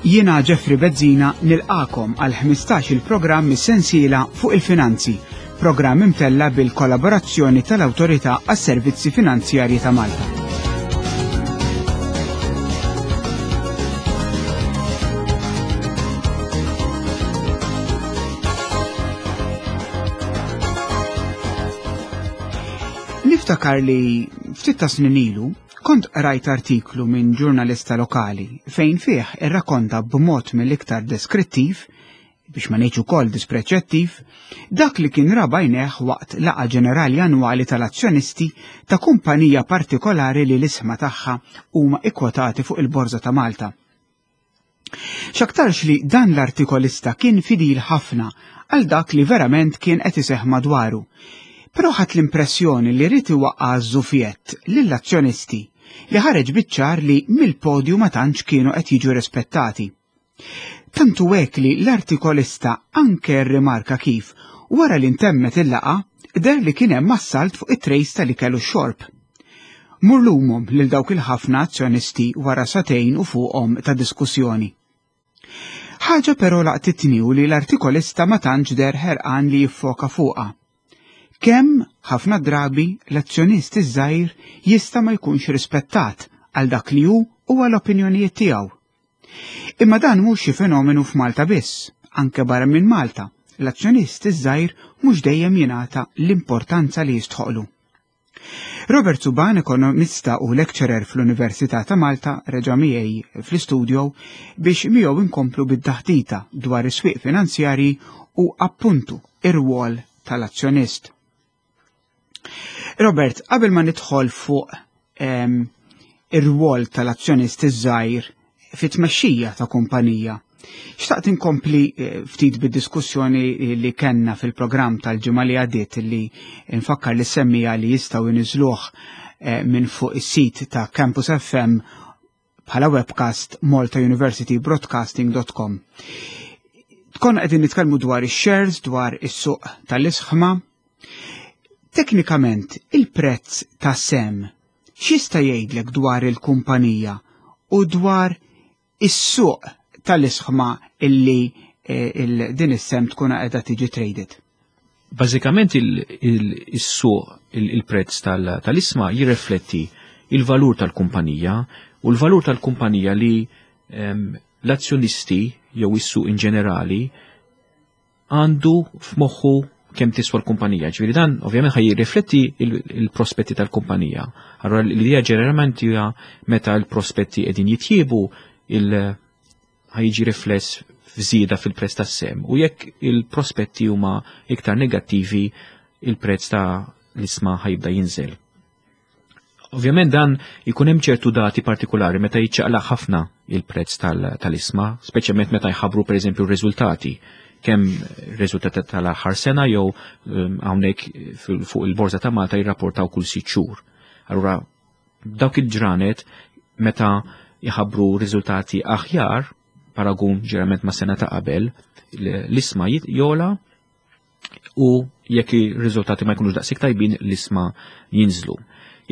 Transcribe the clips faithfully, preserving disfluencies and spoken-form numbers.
Jiena Jeffrey Bezzina nilqagħkom għal ħmistax il-programm mis-sensiela fuq il-finanzi, programm imtella bil-kollaborazzjoni tal-Awtorità għas-Servizzi Finanzjarji ta' Malta. Niftakar li ftit ta' snin ilu kont rajt artiklu minn ġurnalista lokali fejn fih irrakonta b'mod mill-iktar deskrittiv, biex ma ngħidx ukoll dispreċettiv, dak li kien ra b'għajnejh waqt laqgħa ġenerali annwali tal-azzjonisti ta' kumpanija partikolari li l-isma tagħha huma ikkwotati fuq il-Borża ta' Malta. X'aktarx li dan l-artikolista kien fidil ħafna għal dak li verament kien qed iseħħ madwaru, però ħadt l-impressjoni li ried iwaqqa' żufjett lill-azzjonisti li ħareġ biċ-ċar li mill-podju ma tantx kienu qed jiġu rispettati. Tantu hekk li l-artikolista anke rrimarka kif wara li ntemmet il-laqgħa deher li kien hemm assalt fuq it-trejs tal-ikel u x-xorb. Mur lumhom lil dawk il-ħafna azzjonisti wara sagħtejn u fuqhom ta' diskussjoni. Ħaġa però laqtitni u li l-artikolista ma tantx deher ħerqan li jiffoka fuqha. Kemm ħafna drabi l-azzjonist iż-żgħir jista' ma jkunx rispettat għal dak li hu u għal opinjonijiet tiegħu. Imma dan mhux xi fenomenu f'Malta biss, anke barra minn Malta, l-azzjonist iż-żgħir mhux dejjem jingħata l-importanza li jistħoqlu. Robert Suban, ekonomista u lecturer fl-Università ta' Malta, reġa' miegħi fl-istudio biex miegħu inkomplu bid-daħdita dwar is-swieq finanzjarji u appuntu ir-rwol tal-azzjonist. Robert, qabel ma nidħol fuq, ehm, ir-rwol tal-azzjonist iż-żgħir fit-tmexxija ta' kumpanija, xtaqt inkompli, eh, ftit bid-diskussjoni li kellna fil-programm tal-ġimgħa li għaddiet li nfakkar li semmija li jistgħu jniżluh, eh, minn fuq is-sit ta' Campus F M bħala webcast malta university broadcasting dot com. Konna qegħdin nitkellmu dwar ix-shares, dwar is-suq tal-isħma. Teknikament, il-prezz ta' sem x'jista' jgħidlek dwar il-kumpanija u dwar is-suq tal-isħma illi, eh, il-, din is-sem tkun qiegħda tiġi traded? Bażikament il-, il-, is-suq, il-, il-prezz tal-, tal-isma jirrifletti il-valur tal-kumpanija u l-valur tal-kumpanija li, ehm, l-azzjonisti jew is-suq in ġenerali għandu f'moħħu kemm tiswa l-kumpanija. Ġifieri dan ovvjament ħaj jirrifletti il-, il-prospetti tal-kumpanija. Allora l-idea ġeneralment hija meta l-prospetti qegħdin jitjiebu il-, ħajġi rifless f'żieda fil-prezz tas-sem, u jekk il-prospetti huma iktar negattivi, il-prezz ta' l-isma ħajibda jinżel. Ovvjament dan ikun hemm ċertu dati partikolari meta jiċċaqlaq ħafna il-prezz tal-, tal-isma, speċjalment meta jħabbru pereżempju r-riżultati, kemm riżultati tal-aħħar sena jew, ehm, hawnhekk fil-, fuq il-Borża ta' Malta jirrapportaw kull sitt xhur. Allura dawk il-ġranet meta jħabbru riżultati aħjar, paragun ġerament ma' sena ta' qabel, l-, l-isma jit-, jola, u jekk ir-riżultati ma jkunux daqshekk tajbin, l-isma jinżlu.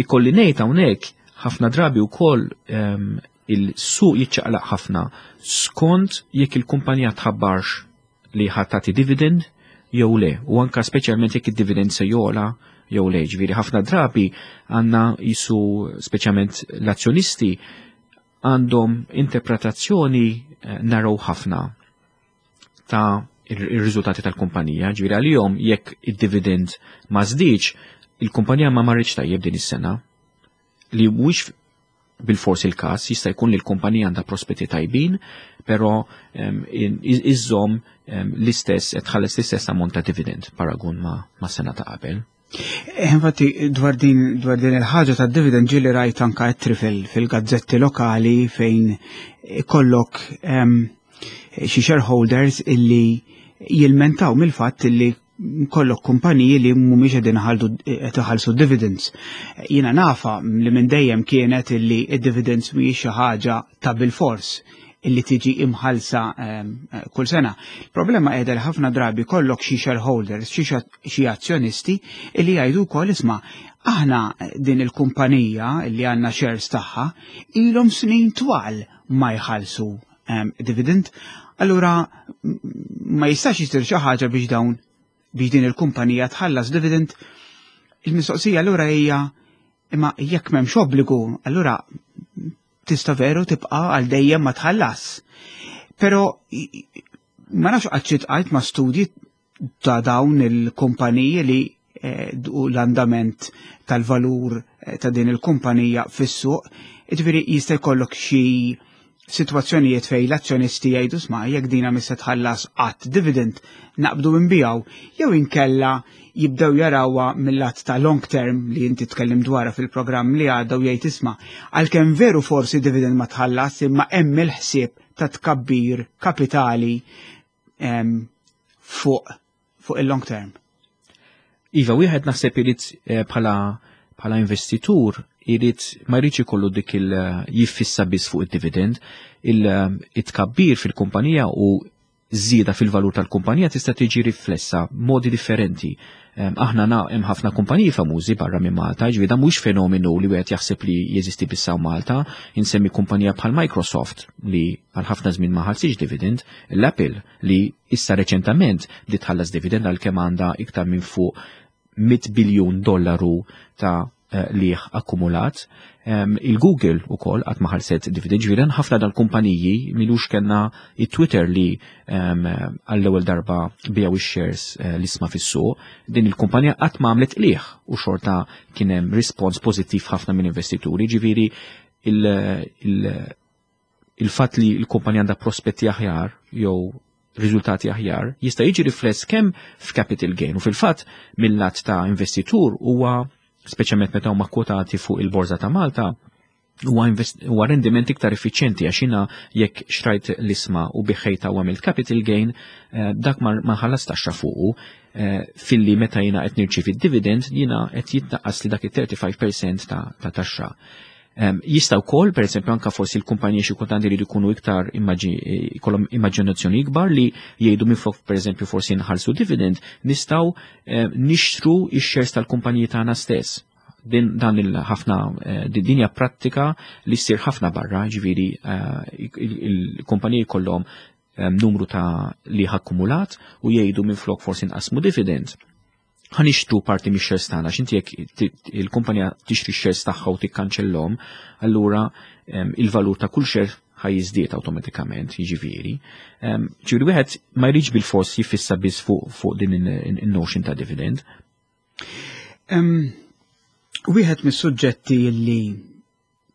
Ikolli ngħid hawnhekk ħafna drabi wkoll, ehm, il-suq jiċċaqlaq ħafna skont jekk il-kumpanija tħabbarx li ħadd tagħti dividend jew le, u anka speċjalment jekk id-dividend se jola jew le. Ġifieri ħafna drabi għandna jisu speċjalment l-azzjonisti għandhom interpretazzjoni, eh, narrow ħafna ta' ir-, ir-riżultati tal-kumpanija. Ġifieri għalihom jekk id-dividend ma żdiedx, il-kumpanija ma marritx tajjeb din is-sena, li mhuwiex bil-fors il-każ, jista' jkun li l-kumpanija għandha prospetti tajbin, però, ehm, in-, iz-, iżżomm, ehm, l-istess, qed tħalles l-istess ammont ta' dividend paragun ma', ma' sena ta' qabel. Eh, infatti, dwar din, dwar din il-ħaġa ta' dividend ġieli rajt anka ettri fil-, fil-gazzetti lokali fejn ikollok, ehm, xi shareholders illi jilmentaw mill-fatt illi kollok kumpaniji li mhumiex qegħdin iħalldu, qed iħallsu dividends. Jiena nafa li minn dejjem kienet illi id-dividends mhijiex xi ħaġa ta' bilfors illi tiġi imħallsa, ehm, kull sena. Il-problema qiegħda li ħafna drabi kollok xi shareholders, xi xa-, xi azzjonisti illi jgħidu wkoll isma' aħna din il-kumpanija illi għandna shares tagħha ilhom snin twal ma jħallsu um, dividend, allura ma jistax jisir xi ħaġa biex dawn biex din il-kumpanija tħallas dividend. Il-mistoqsija allura hija, imma jekk m'hemmx obbligu, allura tista' veru tibqa' għal dejjem ma tħallas. Però ma nafx qatt iltqajt ma' studji ta' dawn il-kumpaniji li eh, u l-andament tal-valur eh, ta' din il-kumpanija fis-suq, jiġifieri jista' jkollok xi situazzjonijiet fej l-azzjonisti jgħidu, "Sma', jekk dina mhix se tħallas qatt dividend, naqbdu nbigħu," jew inkella jibdew jarawha mill-lat ta' long term li inti tkellim dwarha fil-programm li għadda u jgħid, "Isma', għalkemm veru forsi dividend ma tħallas, imma hemm il-ħsieb ta' tkabbir kapitali fuq fuq il-long term." Iva, wieħed naħseb irid eh, bħala bħala investitur irid ma jridx ikollu dik il jiffissa biss fuq id-dividend, il-tkabbir fil-kumpanija u żieda fil-valur tal-kumpanija tista' tiġi riflessa modi differenti. Aħna na hemm ħafna kumpaniji famużi barra minn Malta, ġifieri dan mhux fenomenu li wieħed jaħseb li jeżisti biss Malta, insemmi kumpanija bħal Microsoft li għal ħafna żmien ma ħallsitx dividend, l-Apple li issa reċentament bdiet tħallas dividend għalkemm għandha iktar minn fuq mitt biljun dollaru ta' eh, liħ akkumulat. Il-Google ukoll qatt ma ħallset dividend, ġifieri ħafna dal-kumpaniji. M'ilux kellna il-Twitter li għall-ewwel darba biegħu ix-shares, eh, l-isma fis-suq, din il-kumpanija qatt ma għamlet liħ u xorta kien hemm rispons pożittiv ħafna minn investituri, ġifieri il-fatt li l-kumpanija għandha prospetti aħjar jew riżultati aħjar jista' jiġi rifless kemm f'capital gain u fil-fatt mill-lat ta' investitur huwa, speċjalment meta huma kwotati fuq il-Borża ta' Malta, huwa rendiment iktar effiċjenti, għax jiena jekk xtrajt l-isma u bigħtha u għamilt capital gain, eh, dak ma ħallas taxxa fuqu, eh, filli meta jiena qed nirċievi dividend jiena qed jitnaqqas li dak it-tletin fil-mija ta' taxxa. Jista' wkoll, pereżempju, anka forsi l-kumpaniji xi kultant iridu jkunu iktar ikollhom immaġinazzjoni ikbar li jgħidu, minflok pereżempju forsi nħallsu dividend, nistgħu nixtru x-shares tal-kumpaniji tagħna stess. Din dan il-ħafna eh, din hija prattika li ssir ħafna barra, ġifieri eh, il-kumpaniji kollhom numru ta' li akkumulat u jgħidu, minflok forsi nqasmu dividend, ħa nixtru parti mix shares tagħna. X'inti jekk il-kumpanija tixtri shares tagħha u tikkanċellhom, allura il-valur ta' kull share ħa jiżdied awtomatikament, jiġifieri. Ġifieri wieħed ma jridx bil-fors jiffissa biss fuq din in-notion ta' dividend. Wieħed mis-suġġetti li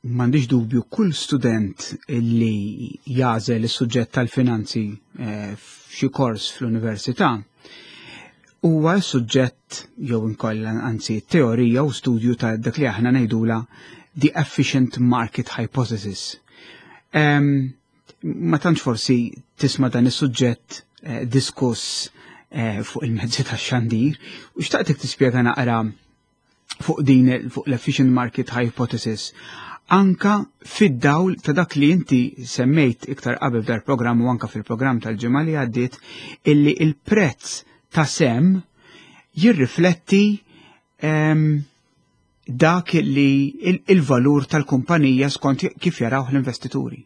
m'għandix dubju kull student li jagħżel is-suġġett tal-finanzi eh, f'xi kors fl-università huwa suġġett jew inkolla anzi teorija u studju ta' dak li aħna ngħidula the efficient market hypothesis. Um, ma tantx forsi tisma' dan is-suġġett eh, diskuss eh, fuq il-mezzi tax-xandir u xtaqtek tispjega naqra fuq din fuq l-efficient market hypothesis anka fid-dawl ta' dak li inti semmejt iktar qabel f'dal-programm u anka fil-programm tal-ġimgħa li għaddiet, illi il-prezz ta' sehem jirrifletti um, dak li il-valur tal-kumpanija skont kif jaraw l-investituri.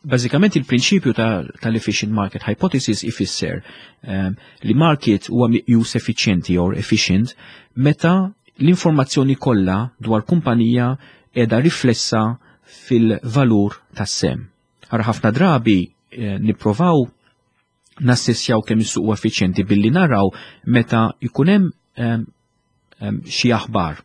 Bażikament il-prinċipju tal-efficient market hypothesis ifisser um, li market huwa meqjus effiċjenti or efficient meta l-informazzjoni kollha dwar kumpanija qiegħda riflessa fil-valur tas-sehem. Ara, ħafna drabi eh, nipprovaw nassessjaw kemm is-suq huwa effiċjenti billi naraw meta jkun hemm um, xi aħbar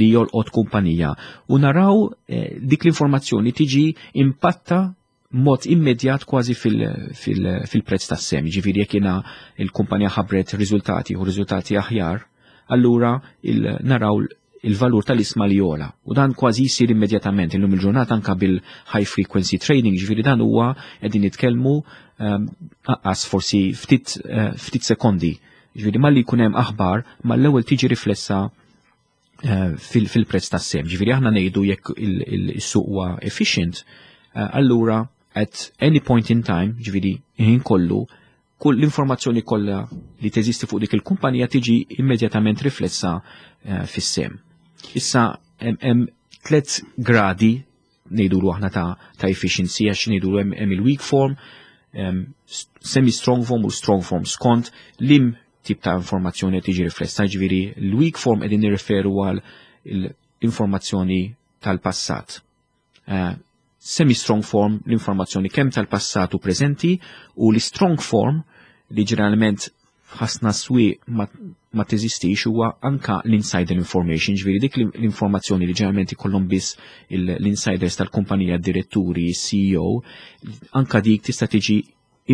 li jolqot kumpanija u naraw eh, dik l-informazzjoni tiġi impatta mod immedjat kważi fil-prezz fil, fil tas-sehem. Ġifieri jekk jiena il-kumpanija ħabbret riżultati u riżultati aħjar, allura il, naraw il-valur tal-isma li jogħla. U dan kważi jsir immedjatament illum il-ġurnata anka bil-high frequency trading, ġifieri dan huwa qegħdin nitkellmu anqas forsi ftit, eh, ftit sekondi. Ġifieri malli jkun hemm aħbar, mal-ewwel tiġi riflessa eh, fil-prezz tas-sehem. Ġifieri aħna ngħidu jekk il-suq huwa efficient, eh, allura at any point in time, ġifieri ħin kollu, kull l-informazzjoni kollha li teżisti fuq dik il-kumpanija tiġi immedjatament riflessa uh, fis-sehem. Issa hemm tliet gradi ngħidulu aħna ta', ta' efficiency, għax ngħidulu hemm il-weak form, semi-strong form u strong form skont liem tip ta' informazzjoni tiġi riflessa. Ġifieri l-weak form qegħdin nirreferu għal l-informazzjoni tal-passat. Uh, semi-strong form, l-informazzjoni kemm tal-passat u preżenti, u l-strong form, li ġeneralment ħafna swieq ma, ma teżistix, huwa anka l-insider information, ġifieri dik l-informazzjoni li ġeneralment ikollhom biss l-insiders tal-kumpanija, diretturi, C E O, anka dik tista' tiġi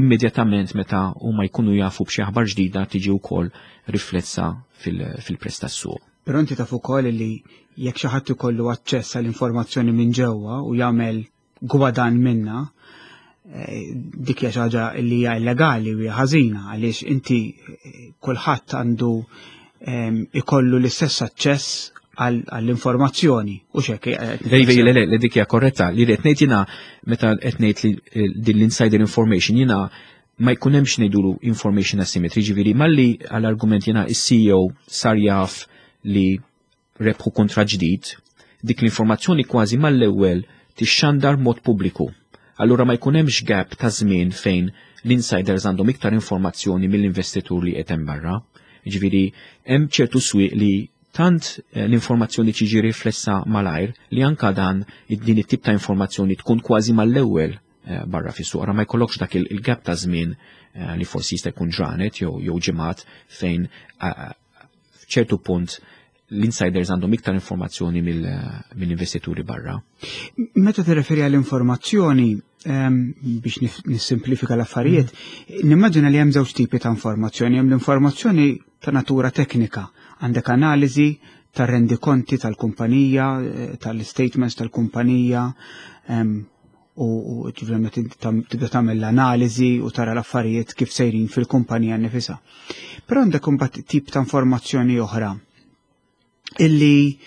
immedjatament meta huma jkunu jafu b'xi aħbar ġdida, tiġi wkoll riflessa fil-prezz tas-suq. Però inti taf ukoll li jekk xi ħadd ikollu aċċess għall-informazzjoni minn ġewwa u jagħmel gwadan minna, eh, dik hija xi ħaġa li hija illegali u hija ħażina, għaliex inti eh, kulħadd għandu ehm, ikollu l-istess aċċess għall-informazzjoni u xek. Eh, le, le, le, le, dik hija korretta. Li qed ngħid jiena meta qed ngħid li din l-insider information jiena ma jkun hemmx ngħidulu information asymmetry, ġifieri malli għall-argument jiena is-C E O sar jaf li rebħu kontra ġdid, dik l-informazzjoni kważi mal-ewwel tixxandar mod pubbliku. Allura ma jkun hemmx gap ta' żmien fejn l-insiders għandhom iktar informazzjoni mill-investitur li qed hemm barra. Ġifieri hemm ċertu swieq li tant eh, l-informazzjoni tiġi riflessa malajr li anka dan din it-tip ta' informazzjoni tkun kważi mal-ewwel eh, barra fis-suq. Ma jkollokx dak il-gap ta' żmien eh, li forsi jista' jkun ġranet jew jew ġimgħat fejn f'ċertu punt l-insiders għandhom iktar informazzjoni mill-investituri barra. Meta tirreferi għall-informazzjoni, ehm, biex nissimplifika l-affarijiet, mm. nimmaġina li hemm żewġ tipi ta' informazzjoni. Hemm l-informazzjoni ta' natura teknika, għandek analiżi ta' rendikonti tal-kumpanija, eh, tal-statements tal-kumpanija, ehm, u ġifieri tibda tagħmel l-analiżi u tara l-affarijiet kif sejrin fil-kumpanija nifisha. Però għandek imbagħad tip ta' informazzjoni oħra illi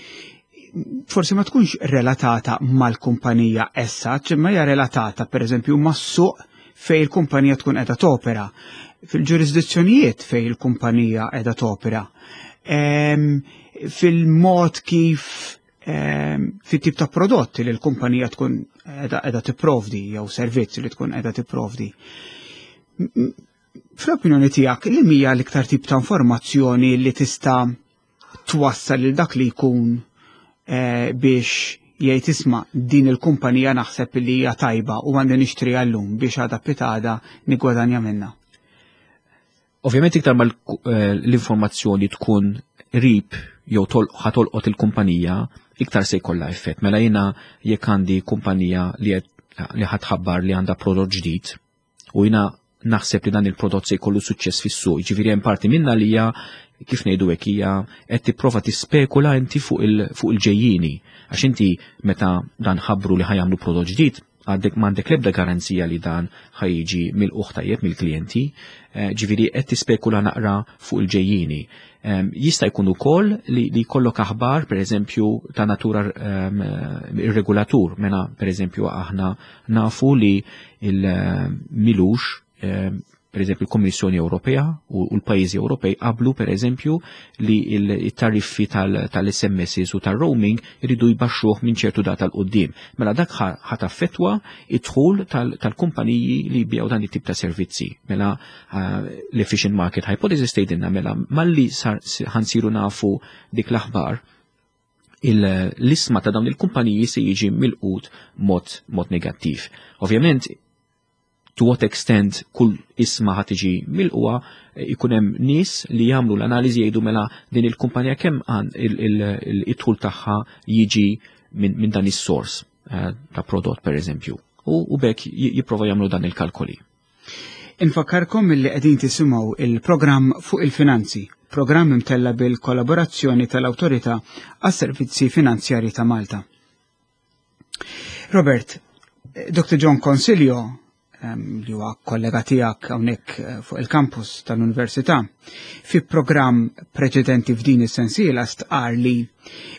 forsi ma tkunx relatata mal-kumpanija essa, imma hija relatata per eżempju mas-suq fej il-kumpanija tkun qiegħda topera, fil-ġurisdizzjonijiet fej il-kumpanija qiegħda topera, fil-mod kif, fit-tip ta' prodotti li l-kumpanija tkun qiegħda tipprovdi jew servizzi li tkun qiegħda tipprovdi. Fl-opinjoni tiegħek, li hija l-iktar tip ta' informazzjoni li tista' twassal lil dak li jkun eh, biex jgħid, "Isma', din il-kumpanija naħseb li hija tajba u għandi nixtri għallum biex għada pitgħada nigwadanja minnha"? Ovvjament iktar ma eh, l-informazzjoni tkun qrib jew ħa tolqot il-kumpanija, iktar se jkollha effett. Mela jiena jekk għandi kumpanija li li ħa tħabbar li għandha prodott ġdid u jiena naħseb li dan il-prodott se jkollu suċċess fis-suq, ġifieri hemm parti minna li hija, kif ngħidu hekk, hija qed tipprova tispekula inti fuq il-ġejjini. Għax inti meta dan ħabbru li ħa jagħmlu prodott ġdid, għandek m'għandek l-ebda garanzija li dan ħa jiġi milqugħ tajjeb mill-klijenti, eh, ġifieri qed tispekula naqra fuq il-ġejjini. Jista' jkun ukoll li, li jkollok aħbar, pereżempju, ta' natura um, ir-regulatur, mela pereżempju aħna nafu li il-milux, per eżempju, l-Kommissjoni Ewropea u l-pajjiżi Ewropej qablu, per eżempju, li il-tariffi tal-S M S u tal-roaming iridu jbaxxuh minn ċertu data 'l quddiem. Mela dak ħa taffettwa id-dħul tal-kumpaniji li jbigħu dan it-tip ta' servizzi. Mela l-efficient market hypothesis tgħidilna mela malli ħa nsiru nafu dik l-aħbar, l-isma ta' dawn il-kumpaniji se jiġi milqut mod, mod negattiv. Ovvjament, to what extent kull isma ħa tiġi milqugħa, ikun hemm nies li jagħmlu l-analiżi, jgħidu mela din il-kumpanija kemm il-dħul tagħha jiġi minn dan is-sors eh, ta' prodott, per eżempju. U b'hekk jipprova jagħmlu dan il-kalkoli. Infakkarkom li qegħdin tisimgħu il-programm Fuq il-Finanzi, programm imtella bil-kollaborazzjoni tal-Awtorità għas-Servizzi Finanzjari ta' Malta. Robert, Doktor John Consiglio, li huwa kollega tiegħek hawnhekk eh, fuq il-campus tal-Università, fi programm preċedenti f'din is-sensiela stqar li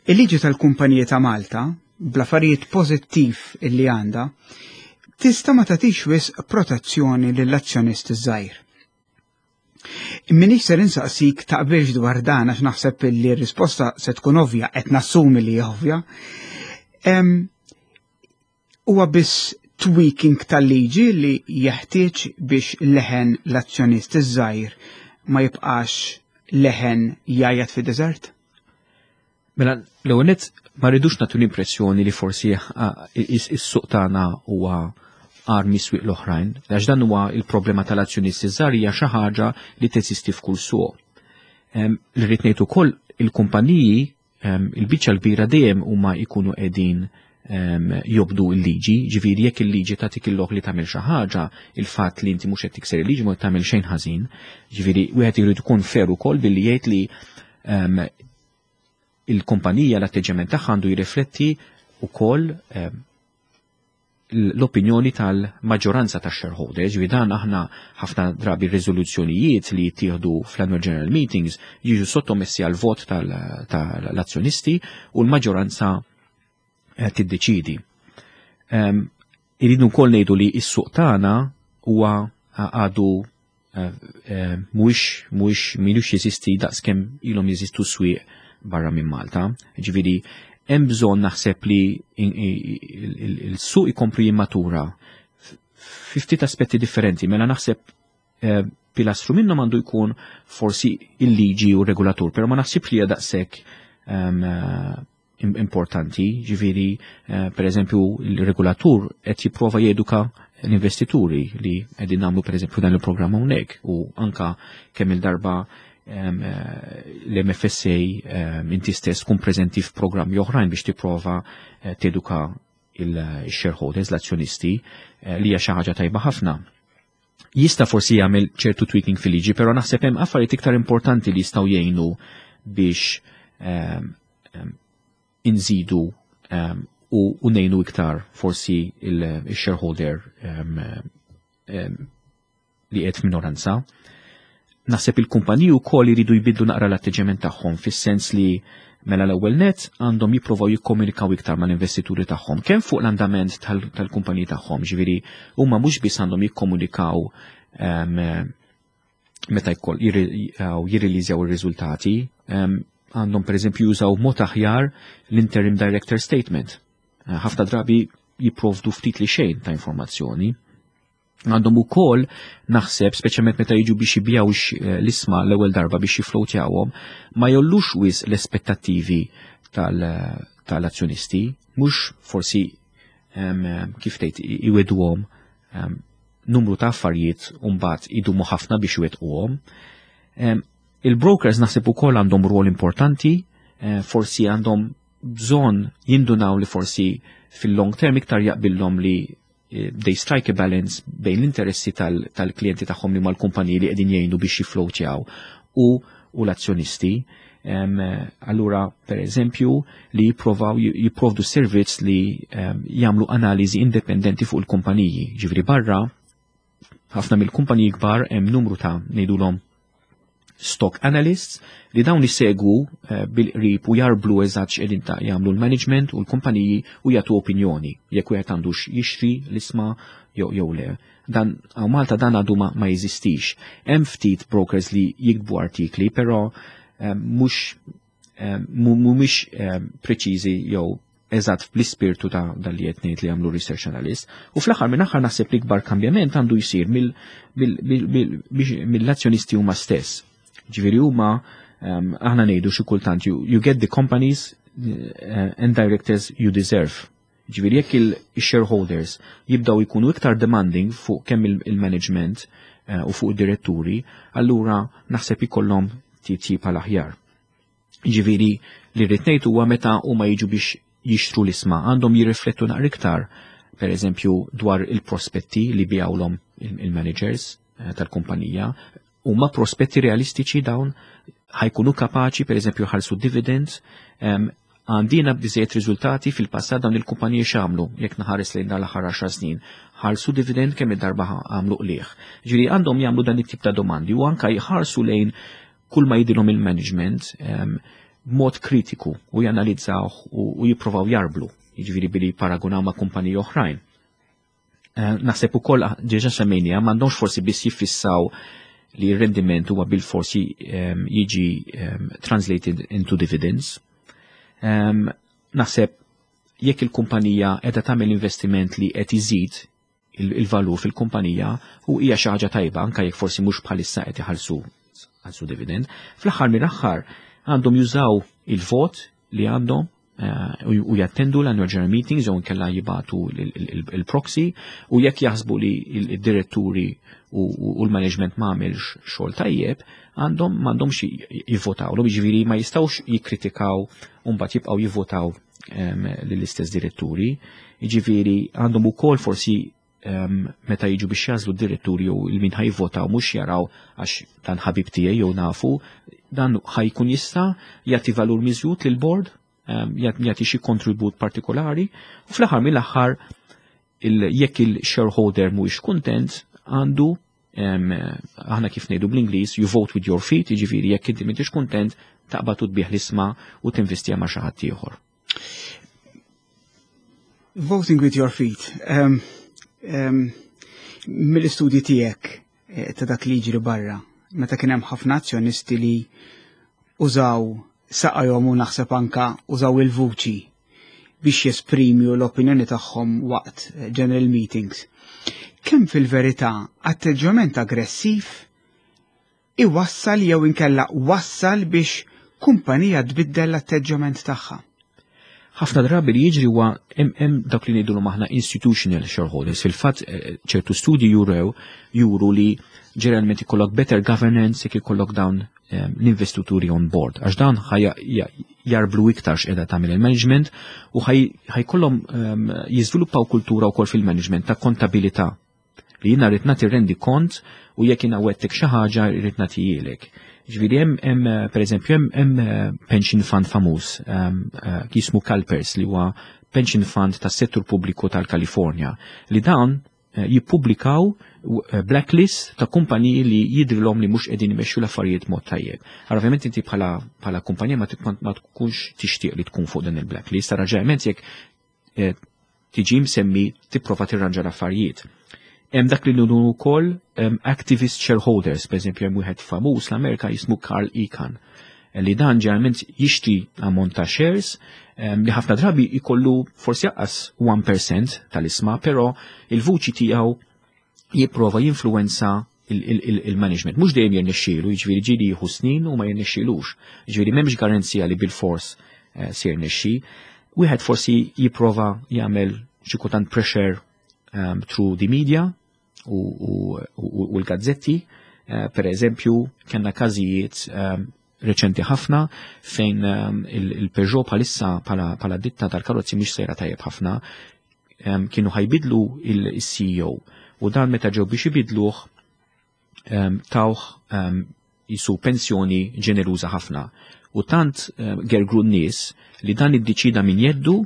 il-liġi tal-kumpaniji ta' Malta, bl-affarijiet pożittiv illi għandha, tista' ma tagħtix wisq protezzjoni lill-azzjonist żgħir. Minix ser insaqsik taqbilx dwar dan, għax naħseb li r-risposta se tkun ovvja, qed nassumi li ovvja. Huwa biss tweaking tal-liġi li jeħtieġ biex leħen l-azzjonist iż-żgħir ma jibqax leħen jgħajjat fid-deżert? Mela, l-ewwel ma rridux nagħtu l-impressjoni li forsi is-suq tagħna huwa agħar mis-swieq l-oħrajn, għax dan huwa il-problema tal-azzjonisti żgħar, hija xi ħaġa li teżisti f'kull suq. Li rrid ngħid ukoll, il-kumpaniji il-biċċa l-kbira dejjem huma jkunu qegħdin jobdu l-liġi, ġifieri jekk il-liġi tagħtik il-lok li tagħmel xi ħaġa, il-fatt li inti mhux qed tikser il-liġi ma tagħmel xejn ħażin. Ġifieri wieħed irid ikun fair ukoll billi jgħid li il-kumpanija l-atteġġament tagħha għandu jirrifletti wkoll l-opinjoni tal-maġġoranza ta' shareholders. Ġifieri dan aħna ħafna drabi riżoluzzjonijiet li jittieħdu fl-annual general meetings jiġu sottomessi għal vot tal-azzjonisti u l-maġġoranza eh, tiddeċidi. Irridu wkoll ngħidu li s-suq tagħna huwa għadu eh, eh, mhuwiex mhuwiex m'ilux jeżisti daqskemm ilhom jeżistu swieq barra minn Malta. Ġifieri hemm bżonn naħseb li il-suq ikomplu jimmatura fi ftit aspetti differenti. Mela naħseb eh, pilastru minnhom għandu jkun forsi il-liġi u regolatur, però ma naħsibx li hija daqshekk ehm, eh, importanti, ġifieri eh, per eżempju il-regolatur qed jipprova jeduka l-investituri li qegħdin nagħmlu per eżempju dan il-programm hawnhekk u anka kemm il-darba l-M F S A, inti stess tkun preżenti f'programmi oħrajn biex tipprova eh, teduka il-shareholders, l-azzjonisti, eh, li hija xi ħaġa tajba ħafna. Jista' forsi jagħmel ċertu tweaking fil-liġi, però naħseb hemm affarijiet iktar importanti li jistgħu jgħinu biex inżidu u ngħinu iktar forsi il-shareholder li qed f'minoranza. Naħseb il-kumpaniji wkoll iridu jbidlu naqra l-atteġġament tagħhom, fis-sens li mela l-ewwel net għandhom jipprovaw jikkomunikaw iktar mal-investituri tagħhom kemm fuq l-andament tal-kumpaniji tagħhom, ġifieri huma mhux biss għandhom jikkomunikaw meta jkoll jirriliżjaw ir-riżultati, għandhom per eżempju jużaw mod aħjar l-interim director statement. Ħafna drabi jipprovdu ftit li xejn ta' informazzjoni. Għandhom ukoll naħseb, speċjalment meta jiġu biex jbigħu eh, l-ishma l-ewwel darba biex jiflowtjawhom, ma jgħollux wisq l-aspettattivi tal-azzjonisti, mhux forsi kif tgħid iwegħduhom numru ta' affarijiet u mbagħad idumu ħafna biex iwettquhom. Il-brokers naħseb ukoll għandhom rol importanti, eh, forsi għandhom bżonn jindunaw li forsi fil-long term iktar jaqbillhom li eh, they strike a balance bejn l-interessi tal-klijenti tagħhom, li mal-kumpaniji li qegħdin jgħinu biex jiflowtjaw, u, u l-azzjonisti. Um, allura, per eżempju, li jipprovaw jipprovdu servizz li um, jagħmlu analiżi indipendenti fuq il-kumpaniji. Ġifieri barra, ħafna mill-kumpaniji kbar hemm numru ta' ngħidulhom stock analysts li dawn isegwu eh, bil-qrib u jarblu eżatt x'qegħdin ta' jagħmlu l-management u l-kumpaniji u jagħtu opinjoni jekk wieħed għandux jixtri l-ishma jew jew le. Dan hawn Malta dan għadu ma, ma jeżistix. Hemm ftit brokers li jiktbu artikli, però eh, mhux eh, mhumiex preċiżi jew eżatt fl-ispirtu ta' dal li qed ngħid li jagħmlu research analyst. U fl-aħħar minn aħħar naħseb li kbar kambjament għandu jsir mill-azzjonisti huma stess. Ġifieri huma aħna ngħidu xi kultant you, you get the companies uh, and directors you deserve. Ġifieri jekk il-shareholders jibdaw jkunu iktar demanding fuq kemm il-management uh, u fuq id-diretturi, allura naħseb ikollhom titjib għal aħjar. Ġifieri li rrid ngħid huwa meta huma jiġu biex jixtru l-ishma għandhom jirriflettu naqra iktar, per eżempju, dwar il-prospetti li biegħulhom il-managers eh, tal-kumpanija. Huma prospetti realistiċi dawn? Ħa jkunu kapaċi per eżempju ħallsu dividends? Għandina biżejjed riżultati fil-passat? Dawn il-kumpaniji x'għamlu jekk naħares lejn dal-aħħar għaxar snin? Ħallsu dividend? Kemm id-darba għamlu qligħ? Ġifieri għandhom jagħmlu dan it-tip ta' domandi u anka jħarsu lejn kull ma jgħidilhom il-management b'mod kritiku u janalizzaw u jipprovaw jarblu, jiġifieri billi paragunaw ma' kumpaniji oħrajn. Eh, naħseb ukoll diġà semmejnija, m'għandhomx forsi biss jiffissaw li r-rendiment huwa bil-forsi jiġi translated into dividends. Naħseb Jekk il-kumpanija qiegħda tagħmel investiment li qed iżid il-valur fil-kumpanija, u hija xi ħaġa tajba anke jekk forsi mhux bħalissa qed iħallsu ħallsu dividend. Fl-aħħar mill-aħħar għandhom jużaw il-vot li għandhom eh, u jattendu l-annual general meetings jew inkella jibagħtu il-proxy, u jekk jaħsbu li il-diretturi u l-management ma għamilx xogħol tajjeb, għandhom m'għandhomx jivvotaw. Jiġifieri ma jistgħux jikkritikaw u mbagħad jibqgħu jivvotaw lill-istess diretturi. Jiġifieri għandhom ukoll forsi meta jiġu biex jagħżlu d-diretturi jew il-min ħa jivvotaw, mhux jaraw għax dan ħabib tiegħi jew nafu, dan ħa jkun jista' jagħti valur miżjud lil board, jagħti xi kontribut partikolari, u fl-aħħar mill-aħħar jekk il-shareholder mhuwiex kuntent, għandu, aħna kif ngħidu bl-Ingliż, "you vote with your feet", jiġifieri jekk inti m'intix kuntent, taqbad u tbigħ l-ishma u tinvestija ma' xi ħadd ieħor. Voting with your feet. Um, um, mill-istudji tiegħek eh, ta' dak li jiġri barra, meta kien hemm ħafna azzjonisti li użaw saqajhom u naħseb anka użaw il-vuċi biex jesprimi l-opinjoni tagħhom waqt eh, general meetings. Kemm fil-verità atteġġjament aggressiv iwassal jew inkella wassal biex kumpanija tbiddel l-atteġġjament tagħha? Ħafna drabi li jiġri huwa hemm dak li ngħidulhom aħna institutional shareholders. Fil-fatt eh, ċertu studji jurew juru li ġeneralment ikollok better governance jekk ikollok dawn eh, l-investituri on board. Għax dawn jarblu iktar x'qiegħda tagħmel il-management u ħa jkollhom ehm, jiżviluppaw kultura wkoll fil-management ta' kontabilità li jiena rrid nagħti rendi kont u jekk jiena wegħedtek xi ħaġa, rrid nagħtihielek. Ġifieri hemm hemm pereżempju hemm hemm eh, pension fund famuż ehm, eh, jismu CalPERS, li huwa pension fund tas-settur pubbliku tal-Kalifornja, li dawn eh, jippubblikaw blacklist ta' kumpaniji li jidrilhom li mhux qegħdin imexxu l-affarijiet mod tajjeb. Allora ovvjament inti bħala bħala kumpanija ma tkunx tixtieq li tkun fuq din il-blacklist, raġunament jekk tiġi msemmi tipprova tirranġa l-affarijiet. Hemm dak li ngħidu wkoll activist shareholders, per eżempju hemm wieħed famuż l-Amerika jismu Carl Icahn, li dan ġeneralment jixtri ammont ta' shares li ħafna drabi jkollu forsi anqas wieħed fil-mija tal-ishma, però il-vuċi tiegħu jipprova jinfluwenza il-management. Mhux dejjem jirnexxielu, jiġifieri ġieli jieħu snin u ma jirnexxielux. Jiġifieri m'hemmx garanzija li bil-fors eh, se jirnexxi. Wieħed forsi jipprova jagħmel xi kultant pressure um, through the media u, u, u l-gazzetti. Uh, per eżempju, kellna każijiet um, reċenti ħafna fejn um, il-Peugeot bħalissa bħala ditta tal-karozzi mhix sejra tajjeb ħafna, um, kienu ħa jbiddlu il-C E O u dan meta ġew biex ibidluh um, tawh um, jisu pensjoni ġeneruża ħafna. U tant um, gergru n-nies li dan iddeċida minn jeddu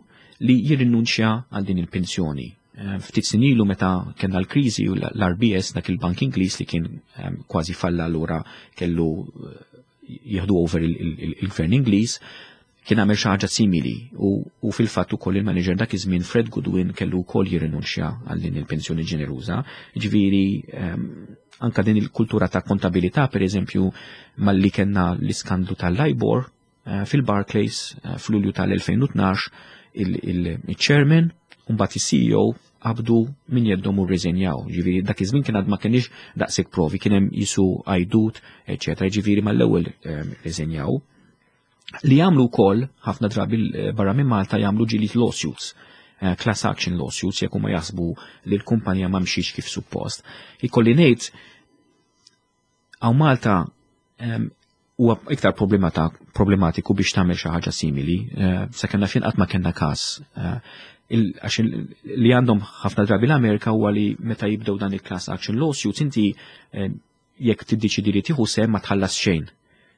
li jirrinunċja għal din il-pensjoni. Eh, ftit snin ilu meta kellna l-kriżi u l-R B S, dak il-bank Ingliż li kien ehm, kważi falla, allura kellu eh, jieħdu over il-gvern Ingliż, kien għamel xi ħaġa simili u, u fil-fatt ukoll il-manager dak iż-żmien Fred Goodwin kellu wkoll jirrinunċja għal din il-pensjoni ġeneruża. Ġifieri um, anka din il-kultura ta' kontabilità, per eżempju, malli kellna l-iskandlu tal-LIBOR uh, fil-Barclays uh, fl-Ulju tal-elfejn u tnax, il-chairman u mbagħad il-C E O qabdu minn jeddhom u rriżenjaw. Ġifieri dak iż-żmien kien għad ma kienx daqshekk provi, kien hemm jisu għajdut, eċetera. Ġifieri mal-ewwel rriżenjaw. Li jagħmlu wkoll ħafna drabi barra minn Malta, jagħmlu ġieli lawsuits, eh, class action lawsuits, jekk huma jaħsbu li l-kumpanija ma mxiex kif suppost. Ikolli ngħid hawn Malta huwa iktar problematiku biex tagħmel xi ħaġa simili, eh, sa kellna fejn qatt ma kellna każ. Eh, għax li għandhom ħafna drabi l-Amerika huwa li meta jibdew dan il-class action lawsuits, inti eh, jekk tiddeċidi li tieħu sehem ma tħallas xejn.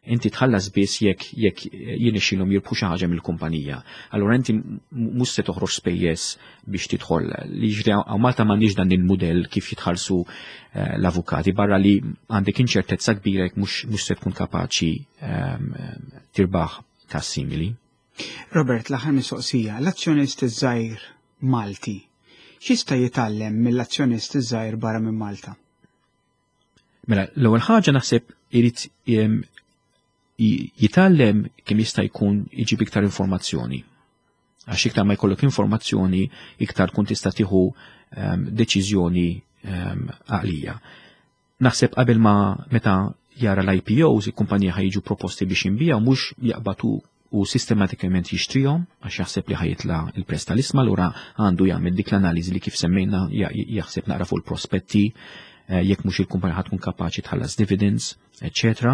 Inti tħallas biss jekk jekk jirnexxilhom jirbħu xi ħaġa mill-kumpanija. Allura inti mhux se toħroġ spejjeż biex tidħol. Li jiġri hawn Malta, m'għandniex dan il-mudell kif jitħallsu eh, l-avukati, barra li għandek inċertezza kbira jekk mhux se tkun kapaċi ehm, tirbaħ każ simili. Robert, l-aħħar mistoqsija, l-azzjonist iż-żgħir Malti, x'jista' jitgħallem mill-azzjonist iż-żgħir barra minn Malta? Mela, l-ewwel ħaġa naħseb irid jitgħallem kemm jista' jkun iġib iktar informazzjoni. Għax iktar ma jkollok informazzjoni, iktar tkun tista' tieħu um, deċiżjoni um, għaqlija. Naħseb qabel ma meta jara l-I P Os, il-kumpanija ħa jiġu proposti biex jinbiegħu, mhux jaqbad u sistematikament jixtrihom għax jaħseb li ħa jitla' il-prezz tal-isma. Allura għandu jagħmel dik l-analiżi li kif semmejna, jaħseb naqra fuq il-prospetti, eh, jekk mhux il-kumpanija tkun kapaċi tħallas dividends, eċċetera.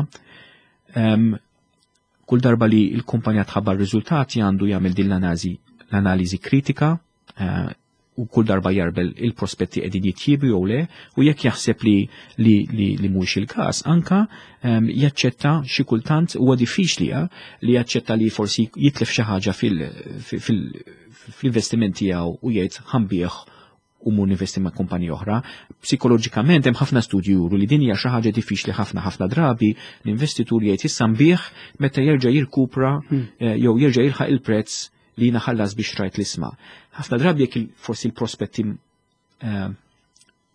Kull darba li l-kumpanija tħabbar riżultati, għandu jagħmel din l-analiżi l-analiżi kritika eh, u kull darba jgħarbel il-prospetti qegħdin jitjiebu jew le, u jekk jaħseb li li li, li mhux il-każ, anka um, jaċċetta, xi kultant huwa diffiċli eh, li jaċċetta li forsi jitlef xi ħaġa fil-investiment tiegħu u jgħid "ħa nbigħ u mmur ninvesti ma' kumpanija oħra". Psikoloġikament hemm ħafna studji juru li din hija xi ħaġa diffiċli ħafna. Ħafna drabi l-investitur jgħid "issa nbigħ meta jerġa' jirkupra hmm. eh, jew jerġa' jilħaq il-prezz li jiena ħallast biex xtrajt l-isma". Ħafna drabi jekk forsi l-prospetti eh,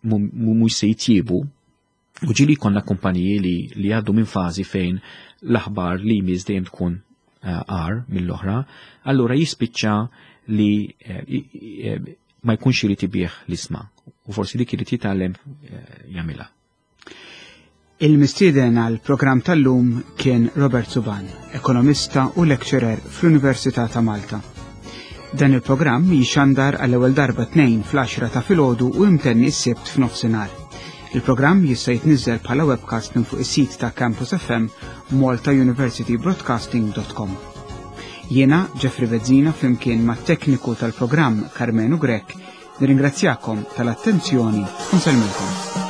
mhux se jitjiebu, u ġieli konna kumpaniji li li għaddu minn fażi fejn l-aħbar li jmiss dejjem tkun eh, agħar mill-oħra, allura jispiċċa li eh, ma jkunx irid ibigħ l-isma u forsi dik irid jitgħallem jagħmilha. Il-mistieden għal programm tal-lum kien Robert Suban, ekonomista u lecturer fl-Università ta' Malta. Dan il-programm jixandar għall-ewwel darba tnejn fl-għaxra ta' filgħodu u imtenni s-Sibt f'nofsinhar. Il-programm jista' jitniżel bħala webcast minn fuq is-sit ta' Campus F M, maltauniversitybroadcasting dot com. Jiena Jeffrey Bezzina, flimkien mat tekniku tal-programm Carmenu Grek, nirringrazzjakom tal-attenzjoni u nsellmilkom.